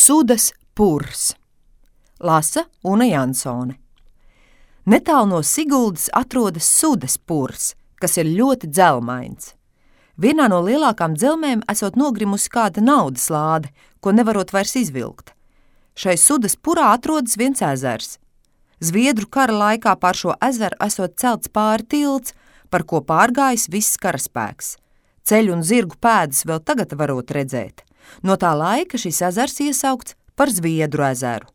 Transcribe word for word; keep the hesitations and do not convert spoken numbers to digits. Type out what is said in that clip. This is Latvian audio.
Sudas purs. Lasa Una Jansone. Netālu no Siguldas atrodas Sudas purs, kas ir ļoti dzelmains. Vienā no lielākām dzelmēm esot nogrimusi kāda naudas lāde, ko nevarot vairs izvilkt. Šai Sudas purā atrodas viens ezers. Zviedru kara laikā pār šo ezeru esot celts pāri tilts, par ko pārgājis viss karaspēks. Ceļu un zirgu pēdas vēl tagad varot redzēt. No tā laika šis ezers iesaukts par Zviedru ezeru.